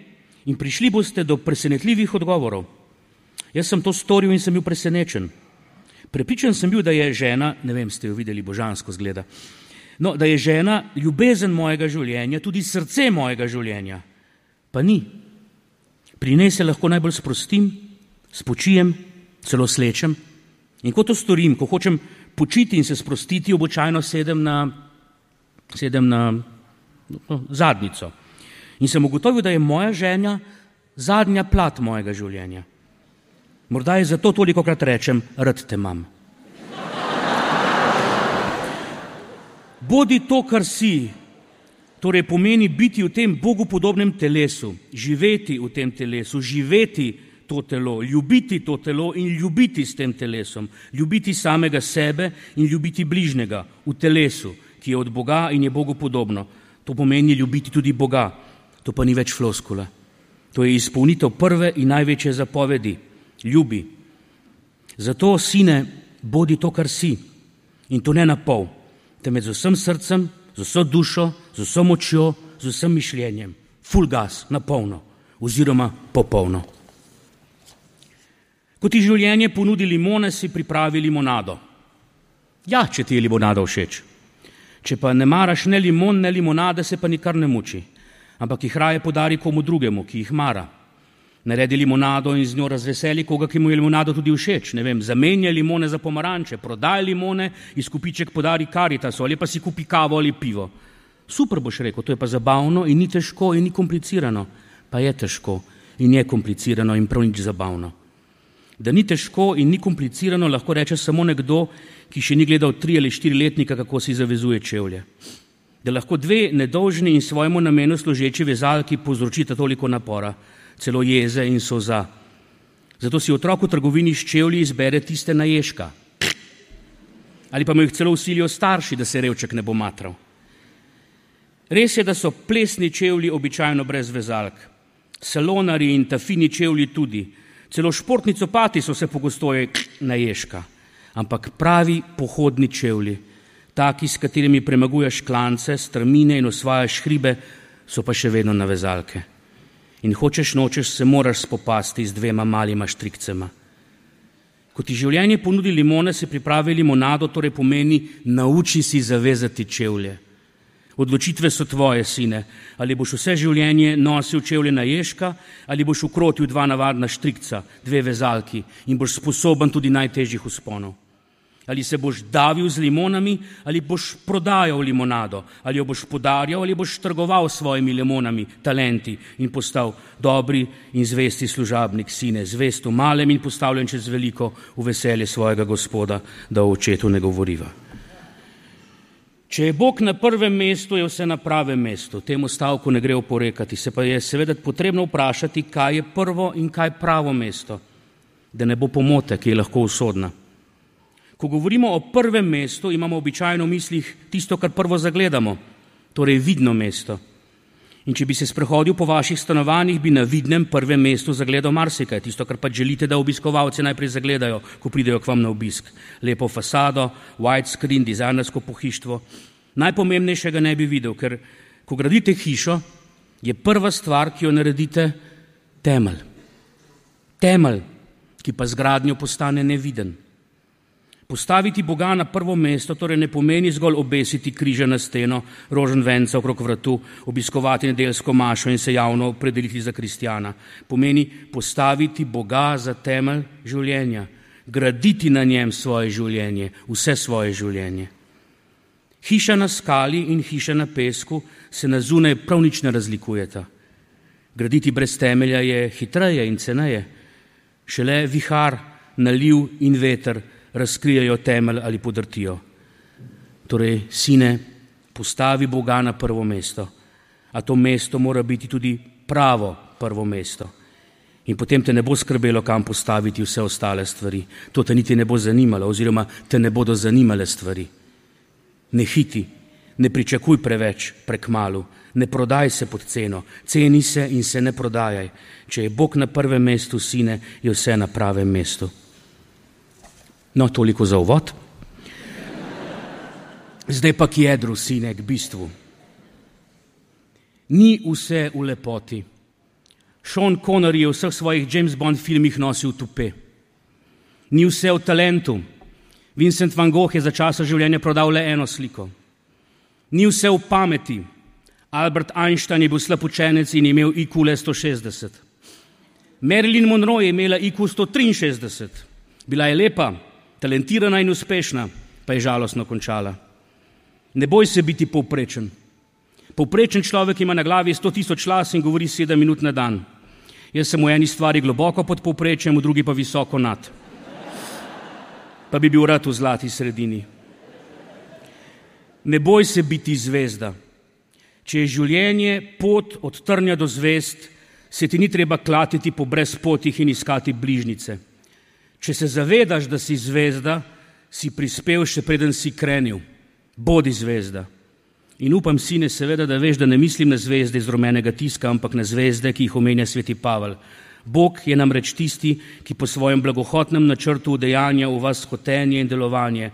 in prišli boste do presenetljivih odgovorov. Jaz sem to storil in sem bil presenečen. Prepričan sem bil, da je žena, ne vem, ste jo videli, božansko zgleda, no, da je žena ljubezen mojega življenja, tudi srce mojega življenja. Pa ni. Pri njej se lahko najbolj sprostim, spočijem, celo slečem. In ko to storim, ko hočem počiti in se sprostiti, običajno sedem na, sedem na no, zadnjico. In sem ugotovil, da je moja žena zadnja plat mojega življenja. Morda je zato tolikokrat rečem, rad te imam. Bodi to, kar si, torej pomeni biti v tem Bogu podobnem telesu, živeti v tem telesu, živeti to telo, ljubiti to telo in ljubiti s tem telesom, ljubiti samega sebe in ljubiti bližnjega v telesu, ki je od Boga in je Bogu podobno. To pomeni ljubiti tudi Boga. To pa ni več floskula. To je izpolnitev prve in največje zapovedi. Ljubi. Zato, sine, bodi to, kar si. In to ne na pol, temveč z vsem srcem, z vso dušo, z vso močjo, z vsem mišljenjem. Full gas, na polno, oziroma popolno. Ko ti življenje ponudi limone, si pripravi limonado. Ja, če ti je limonada všeč. Če pa ne maraš ne limon, ne limonade, se pa nikar ne muči. Ampak jih raje podari komu drugemu, ki jih mara. Naredi limonado in z njo razveseli koga, ki mu je limonado tudi všeč. Ne vem, zamenja limone za pomaranče, prodaj limone, izkupiček podari Karitasu ali pa si kupi kavo ali pivo. Super boš rekel, to je pa zabavno in ni težko in ni komplicirano. Pa je težko in je komplicirano in prav nič zabavno. Da ni težko in ni komplicirano, lahko reče samo nekdo, ki še ni gledal tri ali štiri letnika, kako si zavezuje čevlje. Da lahko dve nedolžni in svojemu namenu služeči vezalki povzročita toliko napora, celo jeze in solza. Zato si otrok v trgovini s čevlji izbere tiste na ježka. Ali pa mu jih celo vsilijo starši, da se revček ne bo matral. Res je, da so plesni čevlji običajno brez vezalk. Salonari in ta fini čevlji tudi. Celo športni copati so se pogostoje na ježka. Ampak pravi pohodni čevlji, Taki, s katerimi premaguješ klance, strmine in osvajaš hribe, so pa še vedno navezalke. In hočeš nočeš se moraš spopasti z dvema malima štrikcema. Ko ti življenje ponudi limone, se pripravi limonado, torej pomeni nauči si zavezati čevlje. Odločitve so tvoje, sine, ali boš vse življenje nosil čevlje na ježka, ali boš ukrotil dva navadna štrikca, dve vezalki in boš sposoben tudi najtežjih vzponov. Ali se boš davil z limonami, ali boš prodajal limonado, ali jo boš podarjal, ali boš trgoval s svojimi limonami, talenti in postal dobri in zvesti služabnik, sine, zvest v malem in postavljen čez veliko v veselje svojega Gospoda, da o očetu ne govoriva. Če je Bog na prvem mestu, je vse na pravem mestu. Temu stavku ne gre oporekati, se pa je seveda potrebno vprašati, kaj je prvo in kaj pravo mesto, da ne bo pomote, ki je lahko usodna. Ko govorimo o prvem mestu, imamo običajno v mislih tisto, kar prvo zagledamo, torej vidno mesto. In če bi se sprehodil po vaših stanovanjih, bi na vidnem prvem mestu zagledal marsikaj, tisto, kar pa želite, da obiskovalci najprej zagledajo, ko pridejo k vam na obisk. Lepo fasado, widescreen, dizajnersko pohištvo. Najpomembnejšega ne bi videl, ker ko gradite hišo, je prva stvar, ki jo naredite, temelj. Temelj, ki pa z gradnjo postane neviden. Postaviti Boga na prvo mesto torej ne pomeni zgolj obesiti križa na steno, rožen venca okrog vratu, obiskovati nedeljsko mašo in se javno opredeliti za kristjana. Pomeni postaviti Boga za temelj življenja, graditi na njem svoje življenje, vse svoje življenje. Hiša na skali in hiša na pesku se na zunaj prav nič ne razlikujeta. Graditi brez temelja je hitreje in ceneje. Šele vihar, naliv in veter razkrijajo temelj ali podrtijo. Torej, sine, postavi Boga na prvo mesto, a to mesto mora biti tudi pravo prvo mesto. In potem te ne bo skrbelo, kam postaviti vse ostale stvari. To te niti ne bo zanimalo, oziroma te ne bodo zanimale stvari. Ne hiti, ne pričakuj preveč, prekmalu, ne prodaj se pod ceno, ceni se in se ne prodajaj. Če je Bog na prvem mestu, sine, je vse na pravem mestu. No, toliko za uvod. Zdaj pa k jedru, sine, k bistvu. Ni vse v lepoti. Sean Connery je v vseh svojih James Bond filmih nosil tupe. Ni vse v talentu. Vincent van Gogh je za časa življenja prodal le eno sliko. Ni vse v pameti. Albert Einstein je bil slab učenec in imel I Q le sto šestdeset. Marilyn Monroe je imela I Q sto triinšestdeset. Bila je lepa, talentirana in uspešna, pa je žalostno končala. Ne boj se biti povprečen. Povprečen človek ima na glavi sto tisoč las in govori sedem minut na dan. Jaz sem v eni stvari globoko pod povprečjem, v drugi pa visoko nad. Pa bi bil rad v zlati sredini. Ne boj se biti zvezda. Če je življenje pot od trnja do zvezd, se ti ni treba klatiti po brezpotih in iskati bližnice. Če se zavedaš, da si zvezda, si prispel še preden si krenil. Bodi zvezda. In upam, sine, seveda, da veš, da ne mislim na zvezde iz rumenega tiska, ampak na zvezde, ki jih omenja sveti Pavel. Bog je namreč tisti, ki po svojem blagohotnem načrtu udejanja v vas hotenje in delovanje.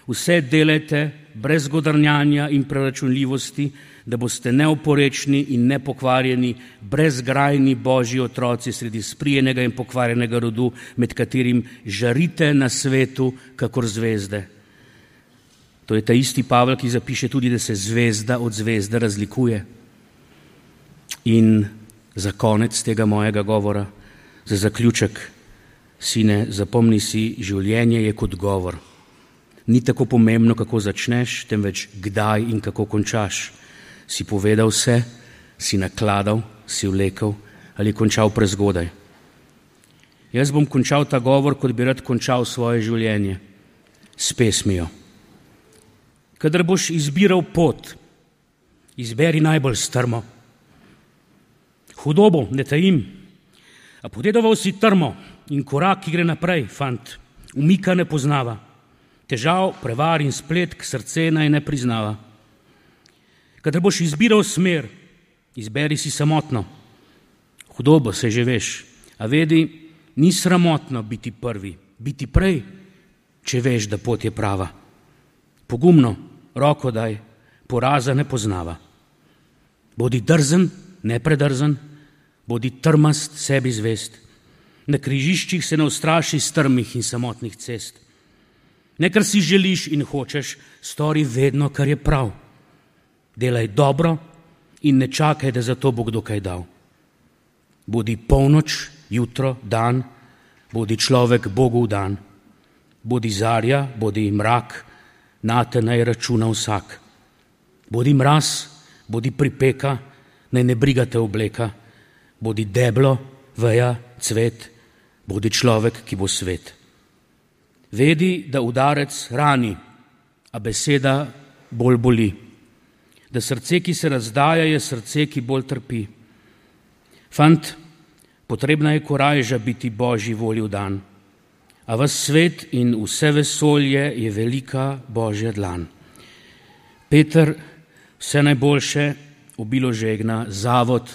Vse delajte brez godrnjanja in preračunljivosti, da boste neoporečni in nepokvarjeni, brezgrajni Božji otroci sredi sprijenega in pokvarjenega rodu, med katerim žarite na svetu kakor zvezde. To je ta isti Pavel, ki zapiše tudi, da se zvezda od zvezde razlikuje. In za konec tega mojega govora, za zaključek, sine, zapomni si, življenje je kot govor. Ni tako pomembno, kako začneš, temveč kdaj in kako končaš. Si povedal vse, si nakladal, si vlekel ali končal prezgodaj. Jaz bom končal ta govor, kot bi rad končal svoje življenje, s pesmijo. Kadar boš izbiral pot, izberi najbolj strmo. Hudobo ne tajim, a podedoval si trmo in korak, ki gre naprej, fant, umika ne poznava. Težav, prevar in spletk srce naj ne priznava. Kadar boš izbiral smer, izberi si samotno. Hudobo se že veš, a vedi, ni sramotno biti prvi, biti prej, če veš, da pot je prava. Pogumno, roko daj, poraza ne poznava. Bodi drzen, ne predrzen, bodi trmast, sebi zvest. Na križiščih se ne ustraši strmih in samotnih cest. Ne, kar si želiš in hočeš, stori vedno, kar je prav. Delaj dobro in ne čakaj, da za to bo kdo kaj dal. Bodi polnoč, jutro, dan, bodi človek Bogu dan. Bodi zarja, bodi mrak, nate naj računa vsak. Bodi mraz, bodi pripeka, naj ne brigate obleka. Bodi deblo, veja, cvet, bodi človek, ki bo svet. Vedi, da udarec rani, a beseda bolj boli. Da srce, ki se razdaja, je srce, ki bolj trpi. Fant, potrebna je korajža biti Božji volji dan, a vas svet in vse vesolje je velika Božja dlan. Peter, vse najboljše, obilo žegna, Zavod,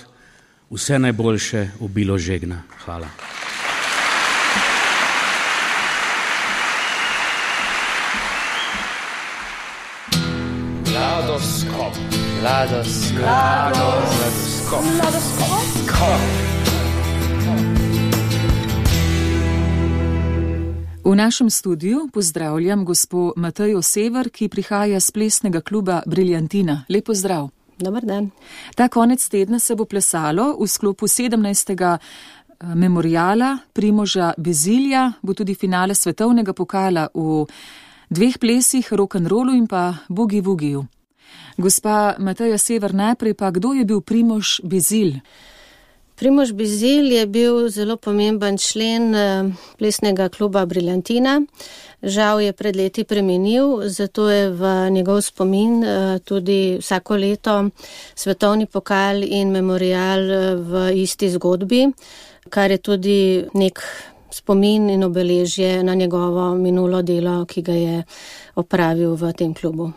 vse najboljše, obilo žegna. Hvala. Ladoskop, ladoskop, ladoskop, ladoskop. V našem studiu pozdravljam gospo Matejo Sever, ki prihaja z plesnega kluba Briljantina. Lep pozdrav. Dobar dan. Ta konec tedna se bo plesalo v sklopu sedemnajstega memoriala Primoža Bezilja, bo tudi finale svetovnega pokala v dveh plesih, rock'n'rollu in pa boogie-woogiju. Gospa Mateja Sever, najprej pa, kdo je bil Primož Bezilj? Primož Bezilj je bil zelo pomemben člen plesnega kluba Briljantina. Žal je pred leti preminil, zato je v njegov spomin tudi vsako leto svetovni pokal in memorial v isti zgodbi, kar je tudi nek spomin in obeležje na njegovo minulo delo, ki ga je opravil v tem klubu.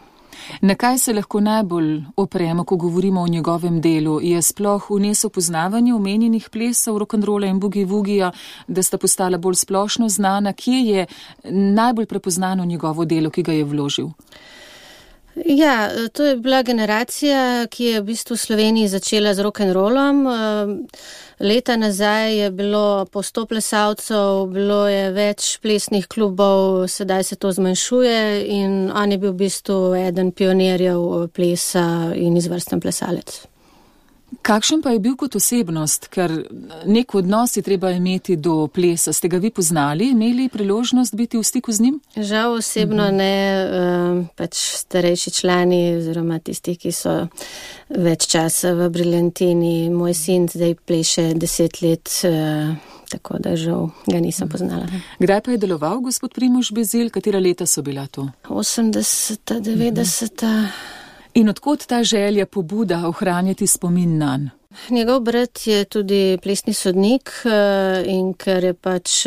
Na kaj se lahko najbolj opremo, ko govorimo o njegovem delu? Je sploh vnesel poznavanje omenjenih plesov, rock'n'rolla in boogie-woogija, da sta postala bolj splošno znana? Kje je najbolj prepoznano njegovo delo, ki ga je vložil? Ja, to je bila generacija, ki je v bistvu v Sloveniji začela z rock'n'rollom. Leta nazaj je bilo po sto plesalcev, bilo je več plesnih klubov, sedaj se to zmanjšuje in on je bil v bistvu eden pionirjev plesa in izvrsten plesalec. Kakšen pa je bil kot osebnost, ker nek odnos je treba imeti do plesa? Ste ga vi poznali, imeli priložnost biti v stiku z njim? Žal osebno mm-hmm. ne, pač starejši člani oziroma tisti, ki so več časa v Briljantini. Moj sin zdaj pleše deset let, tako da žal ga nisem poznala. Kdaj pa je deloval gospod Primož Bezilj? Katera leta so bila to? osemdeseta, devetdeseta. Mm-hmm. In odkot ta želja, pobuda ohranjati spomin nanj? Njegov brat je tudi plesni sodnik in ker je pač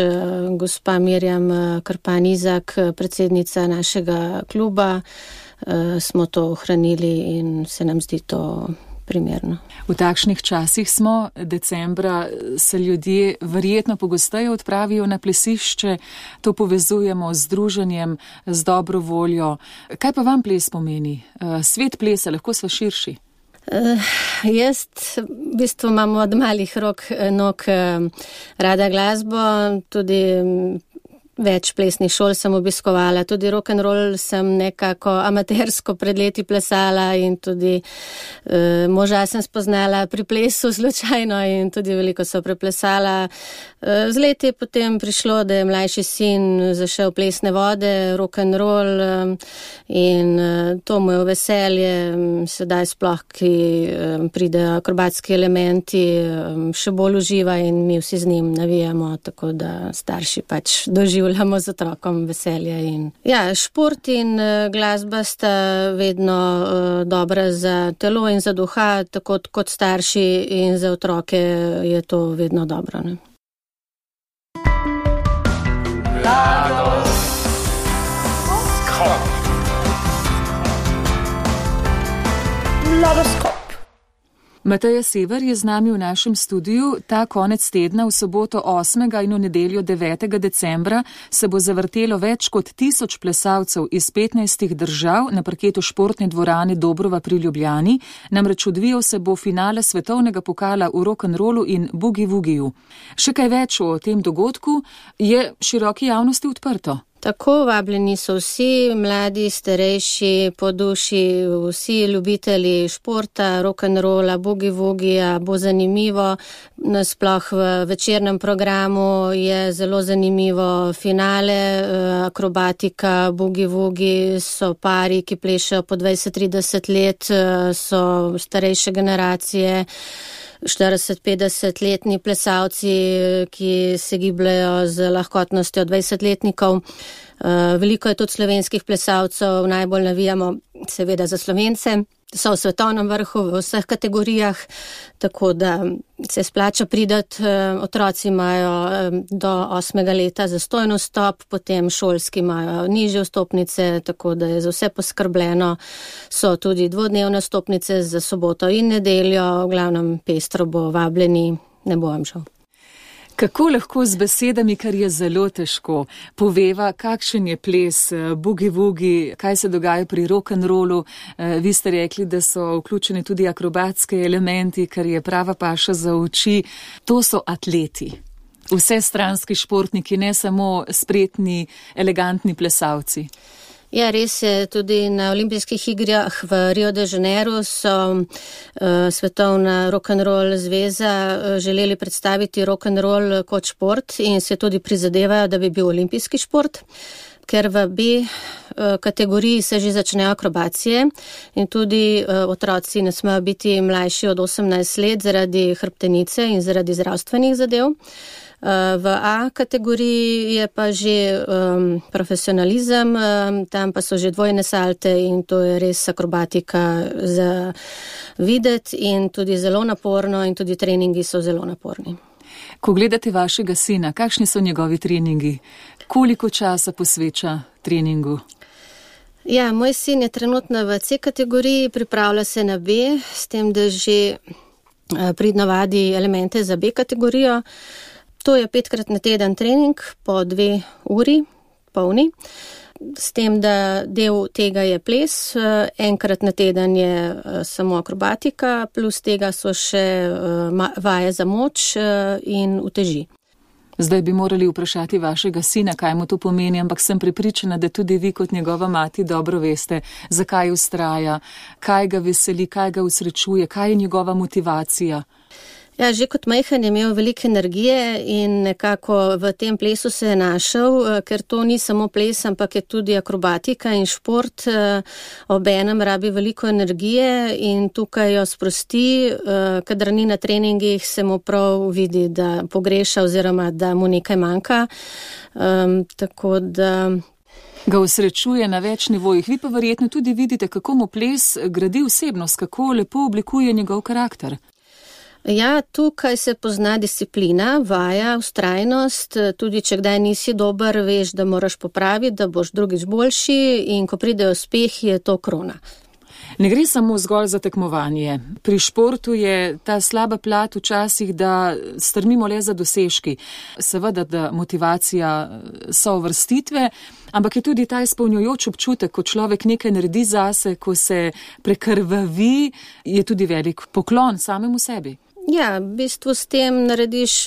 gospa Mirjam Krpan-Izak, predsednica našega kluba, smo to ohranili in se nam zdi to primerno. V takšnih časih smo, decembra se ljudje verjetno pogosteje odpravijo na plesišče, to povezujemo z druženjem, z dobro voljo. Kaj pa vam ples pomeni? Svet plesa, lahko sva širši? Uh, jaz v bistvu imam od malih rok nog rada glasbo, tudi več plesnih šol sem obiskovala, tudi rock'n'roll sem nekako amatersko pred leti plesala in tudi uh, moža sem spoznala pri plesu slučajno in tudi veliko so preplesala. Uh, z leti je potem prišlo, da je mlajši sin zašel plesne vode, rock'n'roll um, in uh, to mu je v veselje, um, sedaj sploh, ki um, pridejo akrobatski elementi, um, še bolj uživa in mi vsi z njim navijamo, tako da starši pač doživljamo z otrokom veselje. In ja, šport in uh, glasba sta vedno uh, dobra za telo in za duha, tako kot starši, in za otroke je to vedno dobro. Ne? Mateja Sever je z nami v našem studiu. Ta konec tedna v soboto osmega in v nedeljo devetega decembra se bo zavrtelo več kot tisoč plesalcev iz petnajstih držav na parketu športne dvorane Dobrova pri Ljubljani. Namreč odvijal se bo finale svetovnega pokala v rock'n'rollu in boogie-woogiju. Še kaj več o tem dogodku je široki javnosti odprto. Tako, vabljeni so vsi, mladi, starejši, po duši, vsi ljubitelji športa, rock'n'rolla, boogie-woogija, bo zanimivo. Sploh v večernem programu je zelo zanimivo finale, akrobatika, boogie-woogi, so pari, ki plešajo po dvajset trideset let, so starejše generacije, štirideset petdeset letni plesalci, ki se gibljajo z lahkotnostjo dvajsetletnikov. Veliko je tudi slovenskih plesalcev, najbolj navijamo seveda za Slovence. So v svetovnem vrhu v vseh kategorijah, tako da se splača pridati. Otroci imajo do osmega leta zastojno vstop, potem šolski imajo nižje vstopnice, tako da je za vse poskrbljeno. So tudi dvodnevne vstopnice za soboto in nedeljo, v glavnem pestro bo, vabljeni, ne bo vam žal. Kako lahko z besedami, kar je zelo težko, poveva, kakšen je ples, boogie-woogi, kaj se dogaja pri rock'n'rollu. Vi ste rekli, da so vključeni tudi akrobatske elementi, kar je prava paša za oči. To so atleti, vsestranski športniki, ne samo spretni, elegantni plesalci. Ja, res je, tudi na olimpijskih igrah v Rio de Janeiro so uh, Svetovna rock'n'roll zveza uh, želeli predstaviti rock'n'roll kot šport in se tudi prizadevajo, da bi bil olimpijski šport, ker v B uh, kategoriji se že začnejo akrobacije in tudi uh, otroci ne smejo biti mlajši od osemnajst let zaradi hrbtenice in zaradi zdravstvenih zadev. V A kategoriji je pa že um, profesionalizem, um, tam pa so že dvojne salte in to je res akrobatika za videti in tudi zelo naporno in tudi treningi so zelo naporni. Ko gledate vašega sina, kakšni so njegovi treningi? Koliko časa posveča treningu? Ja, moj sin je trenutno v C kategoriji, pripravlja se na B, s tem, da že uh, pridno vadi elemente za B kategorijo. To je petkrat na teden trening po dve uri polni, s tem, da del tega je ples, enkrat na teden je samo akrobatika, plus tega so še vaje za moč in uteži. Zdaj bi morali vprašati vašega sina, kaj mu to pomeni, ampak sem prepričana, da tudi vi kot njegova mati dobro veste, zakaj vztraja, kaj ga veseli, kaj ga usrečuje, kaj je njegova motivacija. Ja, že kot majhen je imel veliko energije in nekako v tem plesu se je našel, ker to ni samo ples, ampak je tudi akrobatika in šport. Obenem rabi veliko energije in tukaj jo sprosti, kadar ni na treningih, se mu prav vidi, da pogreša oziroma da mu nekaj manjka. Um, tako da... Ga usrečuje na več nivojih. Vi pa verjetno tudi vidite, kako mu ples gradi osebnost, kako lepo oblikuje njegov karakter. Ja, tukaj se pozna disciplina, vaja, vztrajnost, tudi če kdaj nisi dober, veš, da moraš popraviti, da boš drugič boljši in ko pride uspeh, je to krona. Ne gre samo zgolj za tekmovanje. Pri športu je ta slaba plat včasih, da strmimo le za dosežki. Seveda, da motivacija so uvrstitve, ampak je tudi ta izpolnjujoč občutek, ko človek nekaj naredi zase, ko se prekrvavi, je tudi velik poklon samemu sebi. Ja, v bistvu s tem narediš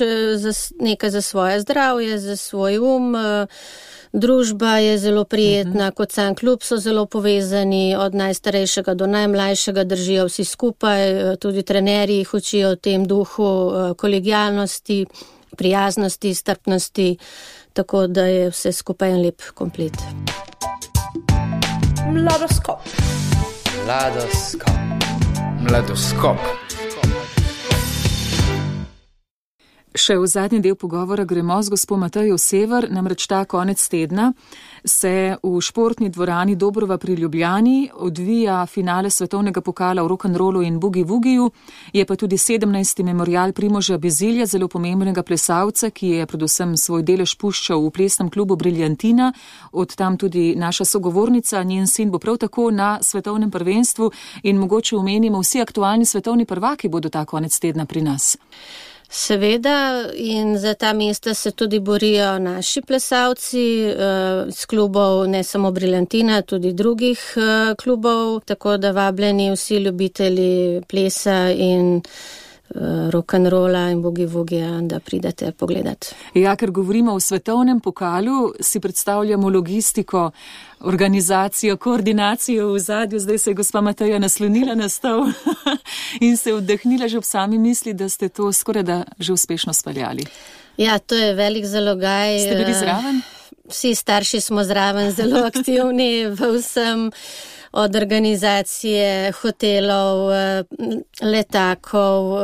nekaj za svoje zdravje, za svoj um, družba je zelo prijetna, kot sam klub so zelo povezani, od najstarejšega do najmlajšega držijo vsi skupaj, tudi trenerji jih učijo v tem duhu kolegialnosti, prijaznosti, strpnosti, tako da je vse skupaj en lep komplet. Mladoskop. Mladoskop. Mladoskop. Še v zadnji del pogovora gremo z gospo Matejo Sever, namreč ta konec tedna se v športni dvorani Dobrova pri Ljubljani odvija finale svetovnega pokala v rock'n'rollu in boogie-woogiju, je pa tudi sedemnajsti memorial Primoža Bezilja, zelo pomembnega plesalca, ki je predvsem svoj delež puščal v plesnem klubu Briljantina, od tam tudi naša sogovornica, njen sin bo prav tako na svetovnem prvenstvu in mogoče omenimo, vsi aktualni svetovni prvaki bodo ta konec tedna pri nas. Seveda, in za ta mesta se tudi borijo naši plesalci z klubov, ne samo Briljantina, tudi drugih klubov, tako da vabljeni vsi ljubitelji plesa in rock'n'rolla in boogie-woogija, da pridete pogledat. Ja, ker govorimo o svetovnem pokalu, si predstavljamo logistiko, organizacijo, koordinacijo v zadju. Zdaj se je gospa Mateja naslonila na stol in se vdahnila že ob sami misli, da ste to skoraj da že uspešno speljali. Ja, to je velik zalogaj. Ste bili zraven? Vsi starši smo zraven, zelo aktivni v vsem, od organizacije hotelov, letakov,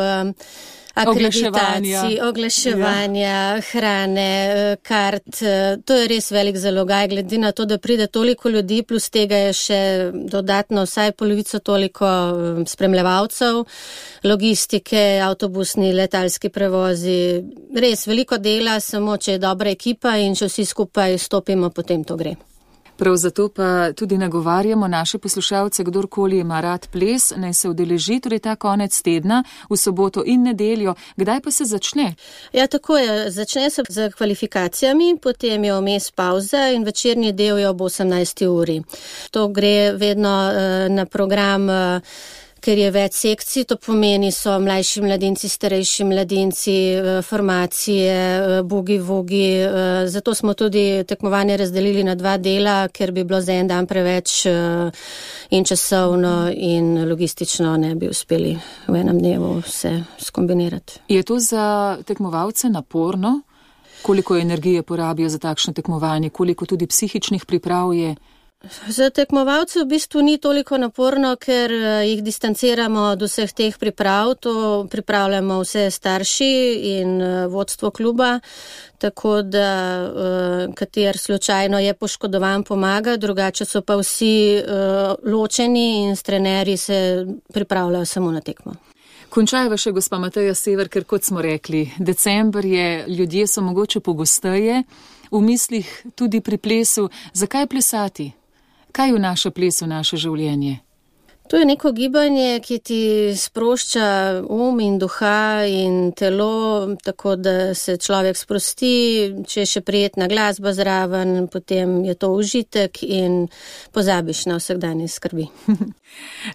akreditacij, oglaševanja, ja. Hrane, kart. To je res velik zalogaj, glede na to, da pride toliko ljudi, plus tega je še dodatno vsaj polovico toliko spremljevalcev, logistike, avtobusni, letalski prevozi. Res veliko dela, samo če je dobra ekipa in če vsi skupaj stopimo, potem to gre. Prav zato pa tudi nagovarjamo naše poslušalce, kdorkoli ima rad ples, naj se udeleži torej ta konec tedna v soboto in nedeljo. Kdaj pa se začne? Ja, tako je. Začne se z kvalifikacijami, potem je vmes pauza in večerni del je ob osemnajsti uri. To gre vedno uh, na program uh, ker je več sekcij, to pomeni so mlajši mladinci, starejši mladinci, formacije, boogie-woogie. Zato smo tudi tekmovanje razdelili na dva dela, ker bi bilo za en dan preveč in časovno in logistično ne bi uspeli v enem dnevu vse skombinirati. Je to za tekmovalce naporno? Koliko energije porabijo za takšno tekmovanje? Koliko tudi psihičnih priprav je? Za tekmovalce v bistvu ni toliko naporno, ker jih distanciramo od vseh teh priprav. To pripravljamo vse starši in vodstvo kluba, tako da kater slučajno je poškodovan, pomaga, drugače so pa vsi ločeni in s trenerji se pripravljajo samo na tekmo. Končajva še gospa Mateja Sever, ker kot smo rekli, december je, ljudje so mogoče pogosteje, v mislih tudi pri plesu. Zakaj plesati? Kaj vnaša ples v naše življenje? To je neko gibanje, ki ti sprošča um in duha in telo, tako da se človek sprosti, če je še prijetna glasba zraven, potem je to užitek in pozabiš na vsakdanje skrbi.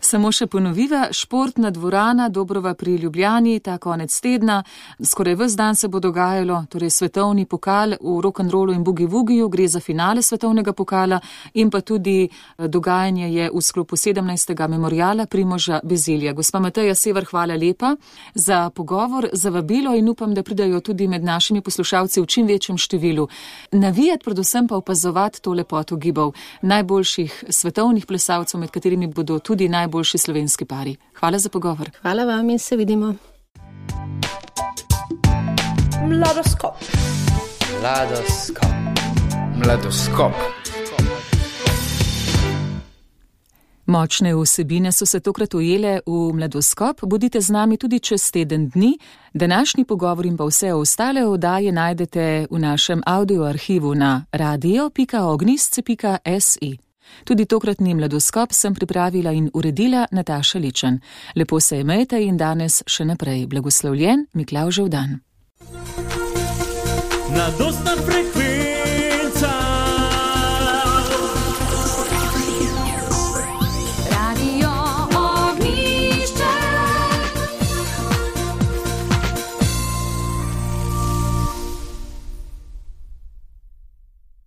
Samo še ponoviva, športna dvorana Dobrova pri Ljubljani, ta konec tedna, skoraj ves dan se bo dogajalo, torej svetovni pokal v rock'n'rollu in boogie-woogiju, gre za finale svetovnega pokala in pa tudi dogajanje je v sklopu sedemnajstega memoriala Primoža Bezilja. Gospa Mateja Sever, hvala lepa za pogovor, za vabilo in upam, da pridajo tudi med našimi poslušalci v čim večjem številu. Navijati, predvsem pa opazovati to lepoto gibov najboljših svetovnih plesalcev, med katerimi bodo tudi najboljši slovenski pari. Hvala za pogovor. Hvala vam in se vidimo. Mladoskop. Mladoskop. Mladoskop. Močne vsebine so se tokrat ujele v Mladoskop. Bodite z nami tudi čez teden dni. Današnji pogovor in pa vse ostale oddaje najdete v našem audioarhivu na radio pika ognjisce pika si. Tudi tokratni Mladoskop sem pripravila in uredila Nataša Ličen. Lepo se imejte in danes še naprej blagoslovljen Miklavžev dan. Mladostna frekvenca